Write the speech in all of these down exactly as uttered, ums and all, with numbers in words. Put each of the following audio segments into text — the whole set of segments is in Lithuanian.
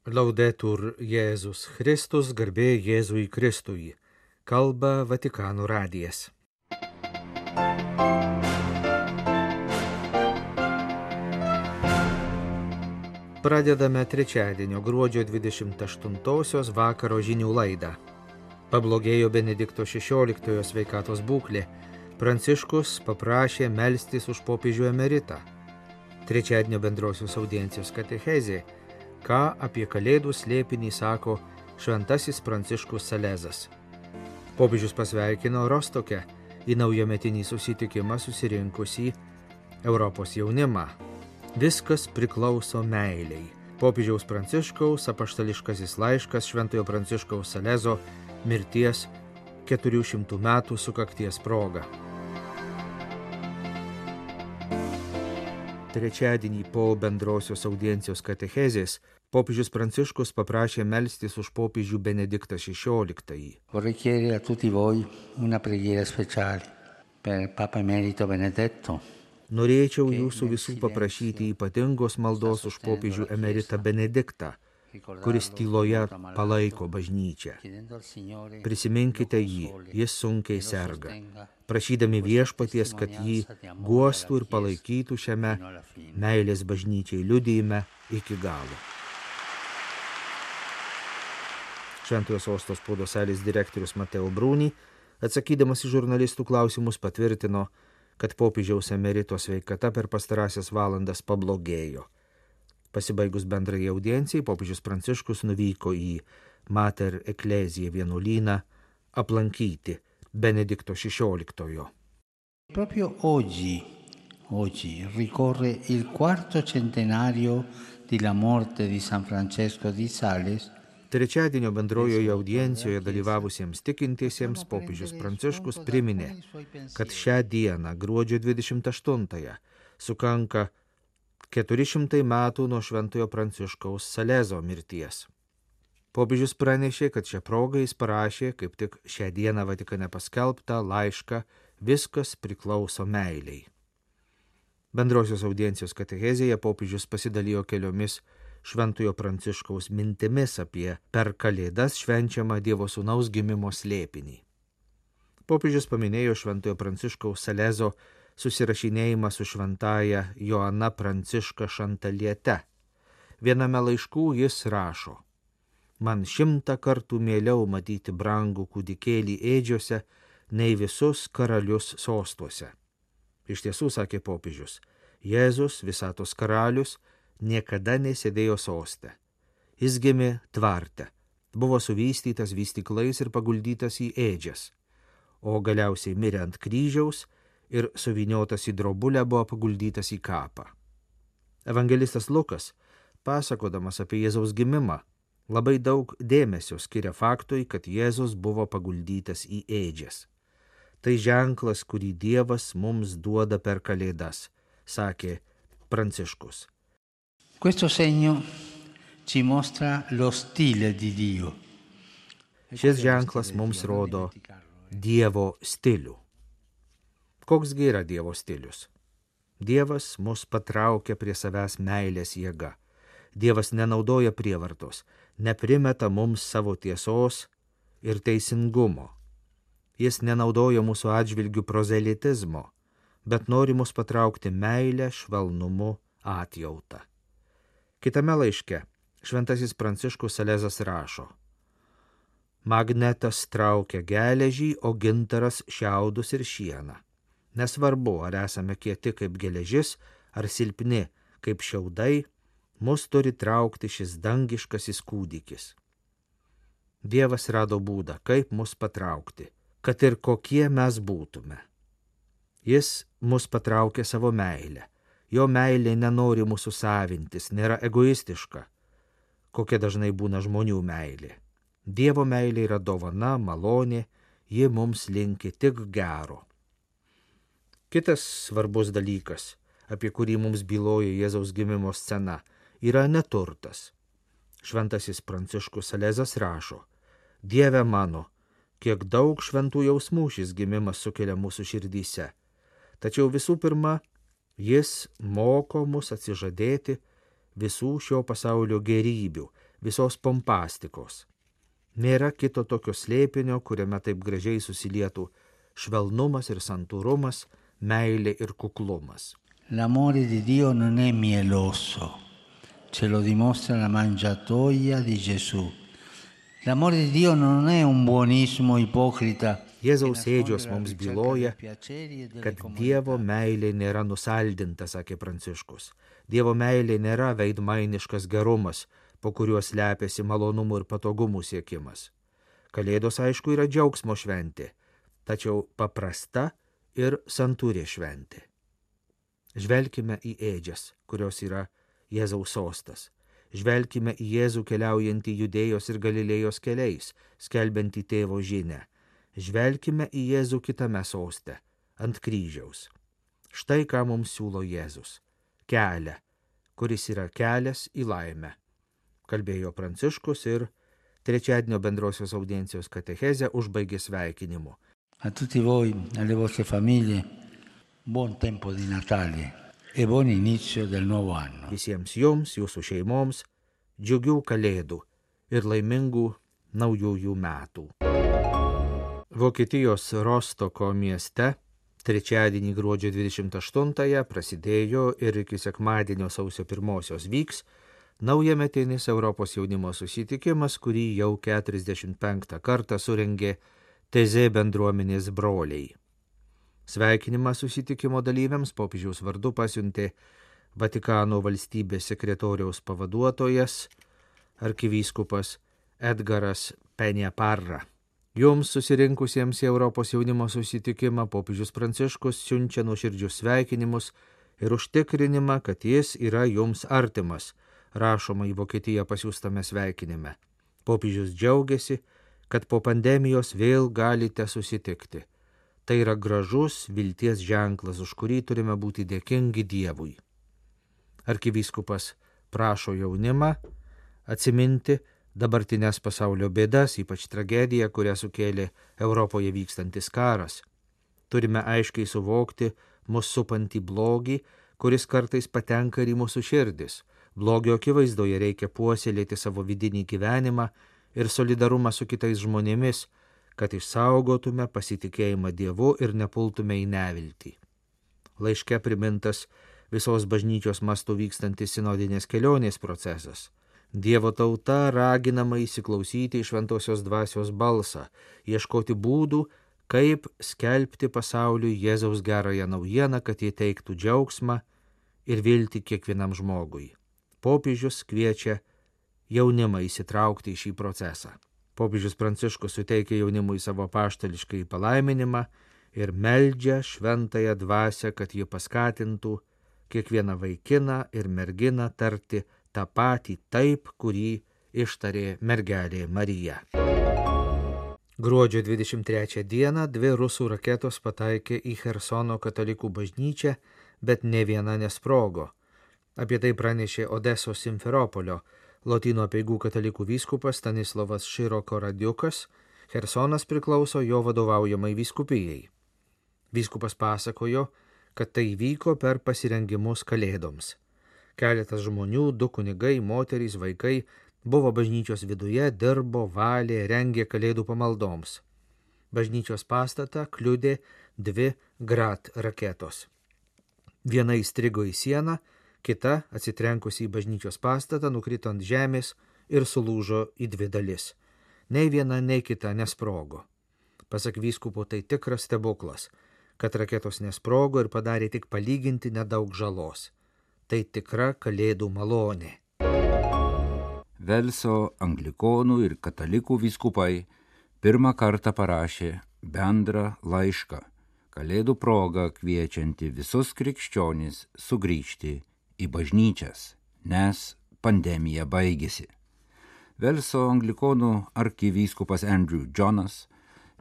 Laudetur Jėzus Kristus, garbė Jėzui Kristui. Kalba Vatikano radijas. Pradedame trečiadienio gruodžio dvidešimt aštuntosios vakaro žinių laidą. Pablogėjo Benedikto šešioliktojo sveikatos būklė. Pranciškus paprašė melstis už popiežių emeritą. Trečiadienio bendrosios audiencijos katechezė. Ką apie kalėdų slėpinį sako šventasis Pranciškus Salezas. Popiežius pasveikino Rostoke į naujametinį susitikimą susirinkusį Europos jaunimą. Viskas priklauso meilei. Popiežiaus Pranciškaus apaštališkasis laiškas Šventojo Pranciškaus Salezo mirties keturių šimtų metų sukakties proga. Trečiadienį po bendrosios audiencijos katechezės popiežius Pranciškus paprašė melstis už popiežių Benediktą šešioliktąjį. Vorrei chiedere a tutti voi una preghiera speciale per Papa Emerito Benedetto. Norėčiau jūsų visų paprašyti ypatingos maldos už popiežių emeritą Benediktą, kuris tyloje palaiko bažnyčią. Prisiminkite jį, jis sunkiai serga, prašydami viešpaties, kad jį guostų ir palaikytų šiame meilės bažnyčiai liudijime iki galo. Šventojo sosto spaudos salės direktorius Mateo Bruni, atsakydamas į žurnalistų klausimus, patvirtino, kad popiežiaus emerito sveikata per pastarąsias valandas pablogėjo. Pasibaigus bendrai audiencijai, popiežius Pranciškus nuvyko į Mater Ecclesiae vienuolyną aplankyti Benedikto šešioliktojo. Proprio oggi, oggi ricorre il quarto centenario della morte di San Francesco di Sales. Trečiadienio bendrojoje audiencijoje dalyvavusiems tikintiesiems popiežius Pranciškus priminė, kad šią dieną, gruodžio dvidešimt aštuntąją, sukanka keturi šimtai metų nuo Šventojo Pranciškaus Salezo mirties. Popiežius pranešė, kad šią progą jis parašė, kaip tik šią dieną Vatikane paskelbtą laišką Viskas priklauso meilei. Bendrosios audiencijos katechezėje popiežius pasidalijo keliomis Šventojo Pranciškaus mintimis apie per Kalėdas švenčiamą Dievo Sūnaus gimimo slėpinį. Popiežius paminėjo Šventojo Pranciškaus Salezo susirašinėjimą su šventaja Joana Pranciška Šantaliete. Viename laiškų jis rašo: Man šimtą kartų mieliau matyti brangų kūdikėlį ėdžiose, nei visus karalius sostuose. Iš tiesų, sakė popiežius, Jėzus, visatos karalius, niekada nesėdėjo soste. Jis gimė tvarte, buvo suvystytas vystyklais ir paguldytas į ėdžias, o galiausiai mirė ant kryžiaus ir suvyniotas į drobulę buvo paguldytas į kapą. Evangelistas Lukas, pasakodamas apie Jėzaus gimimą, labai daug dėmesio skiria faktui, kad Jėzus buvo paguldytas į ėdžias. Tai ženklas, kurį Dievas mums duoda per Kalėdas, sakė Pranciškus. Questo segno ci mostra lo stile di Dio. Šis ženklas mums rodo Dievo stilių. Koksgi yra Dievo stilius? Dievas mus patraukia prie savęs meilės jėga. Dievas nenaudoja prievartos, neprimeta mums savo tiesos ir teisingumo. Jis nenaudoja mūsų atžvilgių prozelitizmo, bet nori mus patraukti meilę, švelnumu, atjautą. Kitame laiške šventasis Pranciškus Salezas rašo: Magnetas traukia geležį, o gintaras šiaudus ir šieną. Nesvarbu, ar esame kieti kaip geležis, ar silpni kaip šiaudai, mus turi traukti šis dangiškasis kūdikis. Dievas rado būdą, kaip mus patraukti, kad ir kokie mes būtume. Jis mus patraukė savo meilę. Jo meilė nenori mūsų savintis, nėra egoistiška, kokia dažnai būna žmonių meilė. Dievo meilė yra dovana, malonė, ji mums linki tik gero. Kitas svarbus dalykas, apie kurį mums byloja Jėzaus gimimo scena, yra neturtas. Šventasis Pranciškus Salezas rašo: Dieve mano, kiek daug šventų jausmų šis gimimas sukelia mūsų širdyse. Tačiau visų pirma, jis moko mus atsižadėti visų šio pasaulio gerybių, visos pompastikos. Nėra kito tokio slėpinio, kuriame taip gražiai susilietų švelnumas ir santūrumas, meilė ir kuklumas. L'amore di Dio non è mieloso, ce lo dimostra la mangiatoia di Gesù. L'amore di Dio non è un buonismo ipocrita. Jėzaus ėdžios mums byloja, kad Dievo meilė nėra nusaldinta, sakė Pranciškus. Dievo meilė nėra veidmainiškas gerumas, po kuriuo slepiasi malonumų ir patogumų siekimas. Kalėdos, aišku, yra džiaugsmo šventė, tačiau paprasta ir santūri šventė. Žvelkime į ėdžias, kurios yra Jėzaus sostas. Žvelkime į Jėzų keliaujantį Judėjos ir Galilėjos keliais, skelbiantį tėvo žinią. Žvelkime į Jėzų kitame soste, ant kryžiaus. Štai ką mums siūlo Jėzus. Kelią, kuris yra kelias į laimę. Kalbėjo Pranciškus ir trečiadienio bendrosios audiencijos katechezę užbaigė sveikinimu. A tutti voi, alle vostre famiglie, buon tempo di Natale e buon inizio del nuovo anno. Visiems jums, jūsų šeimoms, džiugių kalėdų ir laimingų naujųjų metų. Vokietijos Rostoko mieste trečiadienį gruodžio dvidešimt aštuntąją prasidėjo ir iki sekmadienio sausio pirmosios vyks naujametinis Europos jaunimo susitikimas, kurį jau keturiasdešimt penktą kartą surengė Tezė bendruomenės broliai. Sveikinimą susitikimo dalyviams popiežiaus vardu pasiuntė Vatikano valstybės sekretoriaus pavaduotojas arkivyskupas Edgaras Penjaparra. Jums susirinkusiems į Europos jaunimo susitikimą popiežius Pranciškus siunčia nuoširdžius sveikinimus ir užtikrinimą, kad jis yra jums artimas, rašoma į Vokietiją pasiųstame sveikinime. Popiežius džiaugiasi, kad po pandemijos vėl galite susitikti. Tai yra gražus vilties ženklas, už kurį turime būti dėkingi Dievui. Arkivyskupas prašo jaunimą atsiminti dabartinės pasaulio bėdas, ypač tragediją, kurią sukėlė Europoje vykstantis karas. Turime aiškiai suvokti mus supantį blogį, kuris kartais patenka ir į mūsų širdis. Blogio akivaizdoje reikia puoselėti savo vidinį gyvenimą ir solidarumą su kitais žmonėmis, kad išsaugotume pasitikėjimą Dievu ir nepultume į neviltį. Laiške primintas visos bažnyčios mastu vykstantis sinodinės kelionės procesas. Dievo tauta raginama įsiklausyti į šventosios dvasios balsą, ieškoti būdų, kaip skelbti pasauliui Jėzaus gerąją naujieną, kad jie teiktų džiaugsmą ir viltį kiekvienam žmogui. Popiežius kviečia jaunimą įsitraukti į šį procesą. Popiežius Pranciškus suteikia jaunimui savo apaštališkąjį palaiminimą ir meldžia šventąją dvasią, kad ji paskatintų kiekvieną vaikiną ir merginą tarti tą patį taip, kurį ištarė mergelė Marija. Gruodžio dvidešimt trečią dieną dvi rusų raketos pataikė į Chersono katalikų bažnyčią, bet ne viena nesprogo. Apie tai pranešė Odesos Simferopolio Lotynų apeigų katalikų vyskupas Stanislovas Široko Radiukas. Chersonas priklauso jo vadovaujamai vyskupijai. Vyskupas pasakojo, kad tai vyko per pasirengimus kalėdoms. Keletas žmonių, du kunigai, moterys, vaikai buvo bažnyčios viduje, dirbo, valė, rengė kalėdų pamaldoms. Bažnyčios pastatą kliudė dvi Grad raketos. Viena įstrigo į sieną, kita, atsitrenkusi į bažnyčios pastatą, nukrito ant žemės ir sulūžo į dvi dalis. Nei viena, nei kita nesprogo. Pasak vyskupo, tai tikras stebuklas, kad raketos nesprogo ir padarė tik palyginti nedaug žalos. Tai tikra kalėdų malonė. Velso anglikonų ir katalikų vyskupai pirmą kartą parašė bendrą laišką, kalėdų progą kviečianti visus krikščionis sugrįžti į bažnyčias, nes pandemija baigėsi. Velso anglikonų arkivyskupas Andrew Jonas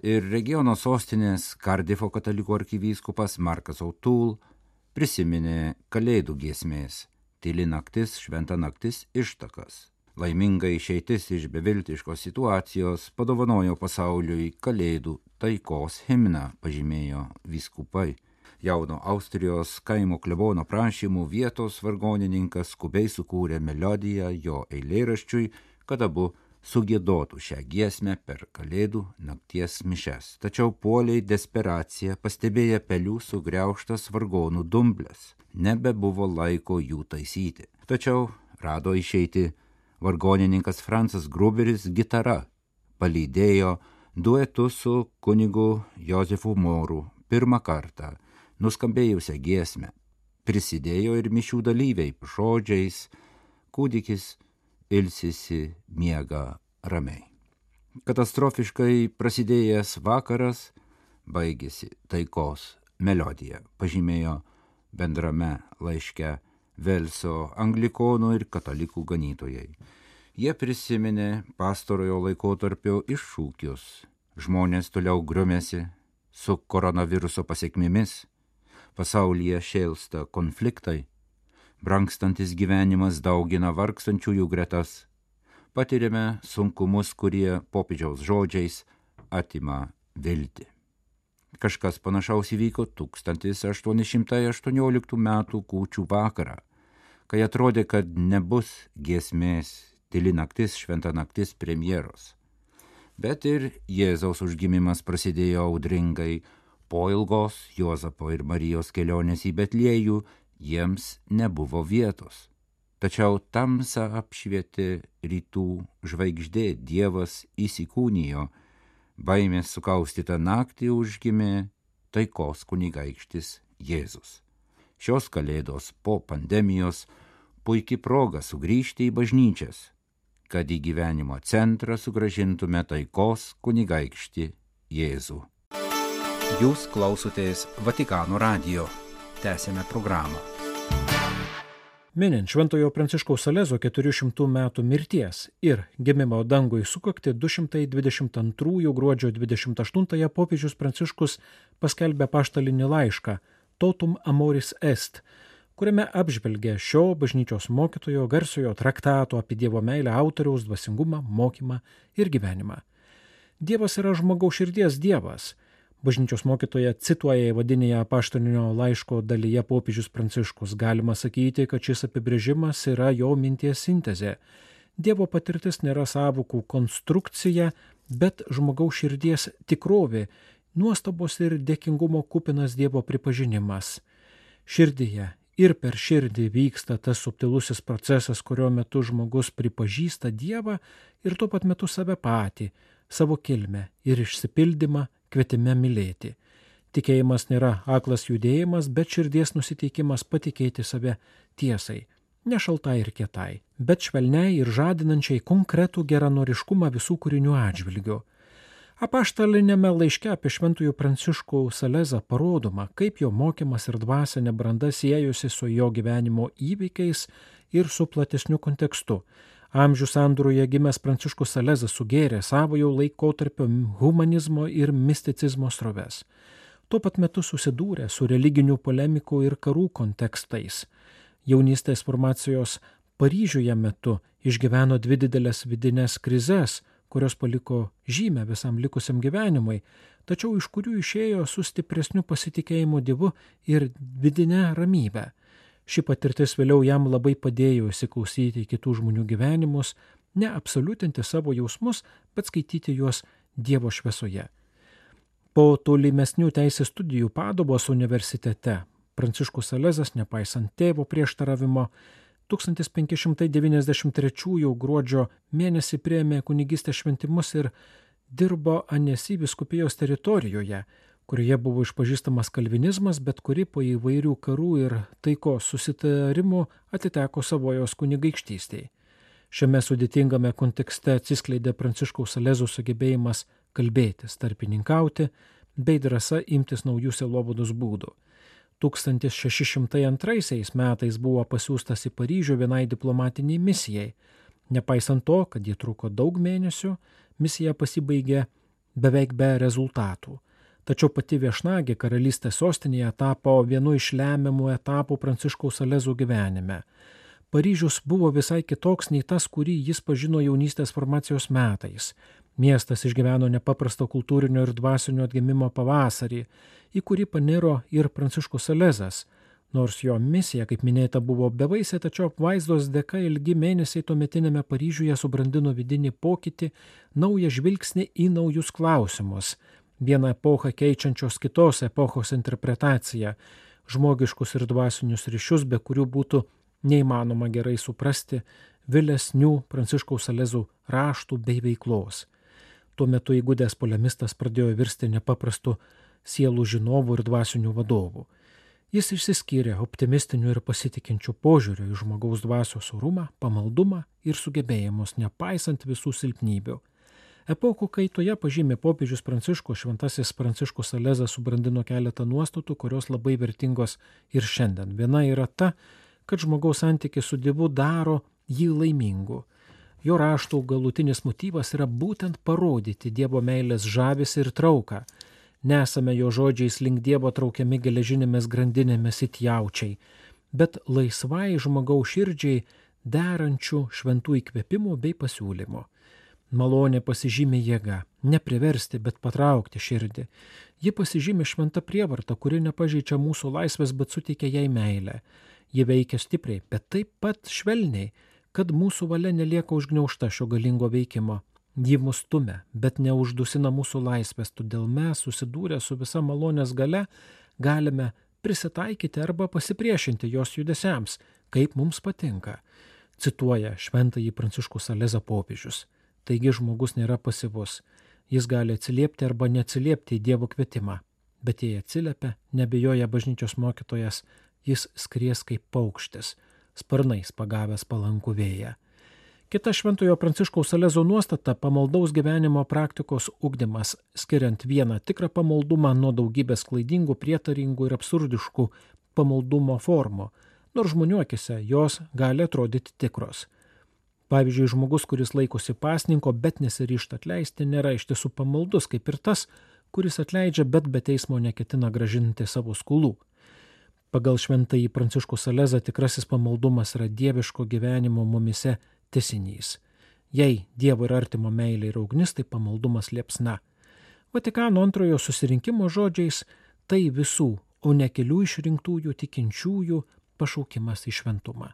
ir regiono sostinės Kardifo katalikų arkivyskupas Markas O'Toole prisiminė kalėdų giesmės tyli naktis, šventa naktis ištakas. Laiminga išeitis iš beviltiškos situacijos padovanojo pasauliui kalėdų taikos himną, pažymėjo vyskupai. Jauno Austrijos kaimo klebono prašymų vietos vargonininkas skubiai sukūrė melodiją jo eilėraščiui kad abu sugiedotų šią giesmę per Kalėdų nakties mišes. Tačiau puoliai desperacija, pastebėję pelių sugriaužtas vargonų dumblės. Nebebuvo laiko jų taisyti. Tačiau rado išeiti vargonininkas Francas Gruberis gitara. Palydėjo duetu su kunigu Jozefu Moru pirmą kartą nuskambėjusią giesmę. Prisidėjo ir mišių dalyviai žodžiais: kūdikis ilsisi, miega ramiai. Katastrofiškai prasidėjęs vakaras baigėsi taikos melodija, pažymėjo bendrame laiške Velso anglikonų ir katalikų ganytojai. Jie prisiminė pastarojo laikotarpio iššūkius. Žmonės toliau griumėsi su koronaviruso pasekmėmis, pasaulyje šėlsta konfliktai, brangstantis gyvenimas daugina vargstančiųjų gretas, patiriame sunkumus, kurie popiežiaus žodžiais atima viltį. Kažkas panašaus įvyko tūkstantis aštuoni šimtai aštuonioliktų metų kūčių vakarą, kai atrodė, kad nebus giesmės Tyli naktis, šventa naktis premjeros. Bet ir Jėzaus užgimimas prasidėjo audringai. Po ilgos Juozapo ir Marijos kelionės į Betliejų jiems nebuvo vietos. Tačiau tamsą apšvietė rytų žvaigždė, Dievas įsikūnijo, baimės sukaustytą naktį užgimė taikos kunigaikštis Jėzus. Šios Kalėdos po pandemijos puikiai proga sugrįžti į bažnyčias, kad į gyvenimo centrą sugrąžintume taikos kunigaikštį Jėzų. Jūs klausotės Vatikano radijo. Tęsėme programą. Minint Šventojo Pranciškaus Salezo keturių šimtų metų mirties ir gimimo dangui sukakti du šimtai dvidešimt antrųjų gruodžio dvidešimt aštuntąją popiežius Pranciškus paskelbė apaštalinį laišką Totum Amoris Est, kuriame apžvelgė šio bažnyčios mokytojo garsiojo traktato apie Dievo meilę autoriaus dvasingumą, mokymą ir gyvenimą. Dievas yra žmogaus širdies Dievas. Bažnyčios mokytoja cituoja įvadinėje apaštalinio laiško dalyje popiežius Pranciškus. Galima sakyti, kad šis apibrėžimas yra jo minties sintezė. Dievo patirtis nėra sąvokų konstrukcija, bet žmogaus širdies tikrovė, nuostabos ir dėkingumo kupinas Dievo pripažinimas. Širdyje ir per širdį vyksta tas subtilusis procesas, kurio metu žmogus pripažįsta Dievą ir tuo pat metu save patį, savo kilmę ir išsipildymą kvietime mylėti. Tikėjimas nėra aklas judėjimas, bet širdies nusiteikimas patikėti save tiesai, ne šaltai ir kietai, bet švelniai ir žadinančiai konkretų geranoriškumą visų kūrinių atžvilgių. Apaštalinėme laiške apie Šventųjų Pranciškų Salezą parodoma, kaip jo mokymas ir dvasinė branda siejosi su jo gyvenimo įvykiais ir su platesniu kontekstu. Amžių sandūroje gimęs Pranciškus Salezas sugėrė savojo laikotarpio humanizmo ir misticizmo sroves. Tuo pat metu susidūrė su religinių polemikų ir karų kontekstais. Jaunystės formacijos Paryžiuje metu išgyveno dvi didelės vidinės krizes, kurios paliko žymę visam likusiam gyvenimui, tačiau iš kurių išėjo su stipresniu pasitikėjimu Dievu ir vidinę ramybę. Ši patirtis vėliau jam labai padėjo įsiklausyti į kitų žmonių gyvenimus, neabsoliutinti savo jausmus, bet skaityti juos Dievo šviesoje. Po tolimesnių teisės studijų Paduvos universitete Pranciškus Salezas, nepaisant tėvo prieštaravimo, tūkstantis penki šimtai devyniasdešimt trečiųjų gruodžio mėnesį priėmė kunigystės šventimus ir dirbo Anesi vyskupijos teritorijoje, kurioje buvo išpažįstamas kalvinizmas, bet kuri po įvairių karų ir taikos susitarimų atiteko savojos kunigaikštystei. Šiame sudėtingame kontekste atsiskleidė Pranciškaus Salezo sugebėjimas kalbėtis, tarpininkauti, bei drąsa imtis naujų sielovados būdų. tūkstantis šeši šimtai antraisiais metais buvo pasiųstas į Paryžių vienai diplomatiniai misijai. Nepaisant to, kad ji truko daug mėnesių, misija pasibaigė beveik be rezultatų. Tačiau pati viešnagė karalystės sostinėje tapo vienu iš lemiamų etapų Pranciškaus Salezo gyvenime. Paryžius buvo visai kitoks nei tas, kurį jis pažino jaunystės formacijos metais. Miestas išgyveno nepaprasto kultūrinio ir dvasinio atgimimo pavasarį, į kurį paniro ir Pranciškus Salezas. Nors jo misija, kaip minėta, buvo bevaisė, tačiau apvaizdos dėka ilgi mėnesiai tuometinėme Paryžiuje subrandino vidinį pokytį, naują žvilgsnį į naujus klausimus, vieną epochą keičiančios kitos epochos interpretaciją, žmogiškus ir dvasinius ryšius, be kurių būtų neįmanoma gerai suprasti vėlesnių Pranciškaus Salezų raštų bei veiklos. Tuo metu įgudęs polemistas pradėjo virsti nepaprastu sielų žinovų ir dvasinių vadovų. Jis išsiskyrė optimistiniu ir pasitikinčiu požiūriu į žmogaus dvasios orumą, pamaldumą ir sugebėjimus, nepaisant visų silpnybių. Epokų kaitoje pažymė popiežius Pranciškus, šventasis Pranciškus Salezas subrandino keletą nuostatų, kurios labai vertingos ir šiandien. Viena yra ta, kad žmogaus santykis su Dievu daro jį laimingu. Jo raštų galutinis motyvas yra būtent parodyti Dievo meilės žavesį ir trauką. Nesame jo žodžiais link Dievo traukiami geležinėmis grandinėmis it jaučiai, bet laisvai žmogaus širdžiai derančių šventų įkvėpimų bei pasiūlymų. Malonė pasižymi jėga, nepriversti, bet patraukti širdį. Ji pasižymi šventa prievarta, kuri nepažeidžia mūsų laisvės, bet suteikia jai meilę. Ji veikia stipriai, bet taip pat švelniai, kad mūsų valia nelieka užgniaužta šio galingo veikimo. Ji mus stumia, bet neuždusina mūsų laisvės, todėl mes, susidūrę su visa malonės galia, galime prisitaikyti arba pasipriešinti jos judesiams, kaip mums patinka, cituoja šventąjį Pranciškų Salezą popiežius. Taigi žmogus nėra pasyvus, jis gali atsiliepti arba neatsiliepti į Dievo kvietimą, bet jei atsiliepia, nebijoja bažnyčios mokytojas, jis skries kaip paukštis, sparnais pagavęs palankų vėją. Kita šventojo Pranciškaus Salezo nuostata – pamaldaus gyvenimo praktikos ugdymas, skiriant vieną tikrą pamaldumą nuo daugybės klaidingų, prietaringų ir absurdiškų pamaldumo formų, nors žmonių akise jos gali atrodyti tikros. Pavyzdžiui, žmogus, kuris laikosi pasninko, bet nesiryžta atleisti, nėra iš tiesų pamaldus, kaip ir tas, kuris atleidžia, bet be teismo neketina grąžinti savo skolų. Pagal šventąjį Pranciškų Salezą tikrasis pamaldumas yra dieviško gyvenimo mumise tęsinys. Jei Dievo ir artimo meilė yra ugnis, tai pamaldumas liepsna. Vatikano antrojo susirinkimo žodžiais tai visų, o ne kelių išrinktųjų tikinčiųjų pašaukimas į šventumą.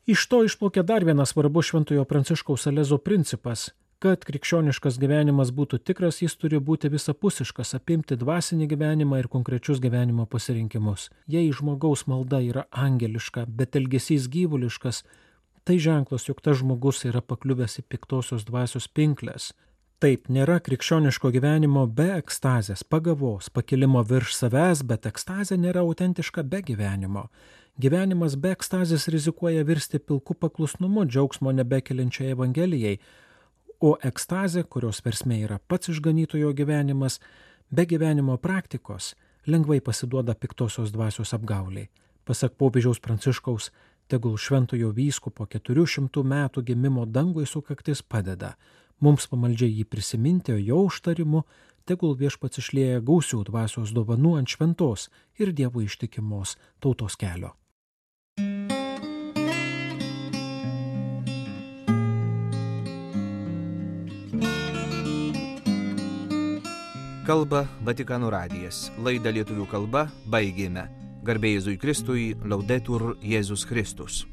Iš to išplaukia dar vienas svarbus šventojo Pranciškaus Salezo principas, kad krikščioniškas gyvenimas būtų tikras, jis turi būti visapusiškas, apimti dvasinį gyvenimą ir konkrečius gyvenimo pasirinkimus. Jei žmogaus malda yra angeliška, bet elgesys gyvuliškas, tai ženklas, jog tas žmogus yra pakliuvęs į piktosios dvasios pinklės. Taip, nėra krikščioniško gyvenimo be ekstazės, pagavos, pakilimo virš savęs, bet ekstazė nėra autentiška be gyvenimo. Gyvenimas be ekstazės rizikuoja virsti pilku paklusnumu, džiaugsmo nebekeliančiai Evangelijai, o ekstazė, kurios versmė yra pats išganytojo gyvenimas, be gyvenimo praktikos lengvai pasiduoda piktosios dvasios apgauliai. Pasak popiežiaus Pranciškaus, tegul šventojo vyskupo keturių šimtų metų gimimo dangui sukaktis padeda mums pamaldžiai jį prisiminti, o jo užtarimu tegul viešpats išlieja gausių dvasios dovanų ant šventos ir Dievo ištikimos tautos kelio. Kalba Vatikano radijas. Laidą lietuvių kalba baigėme. Garbė Jėzui Kristui, Laudetur Jėzus Kristus.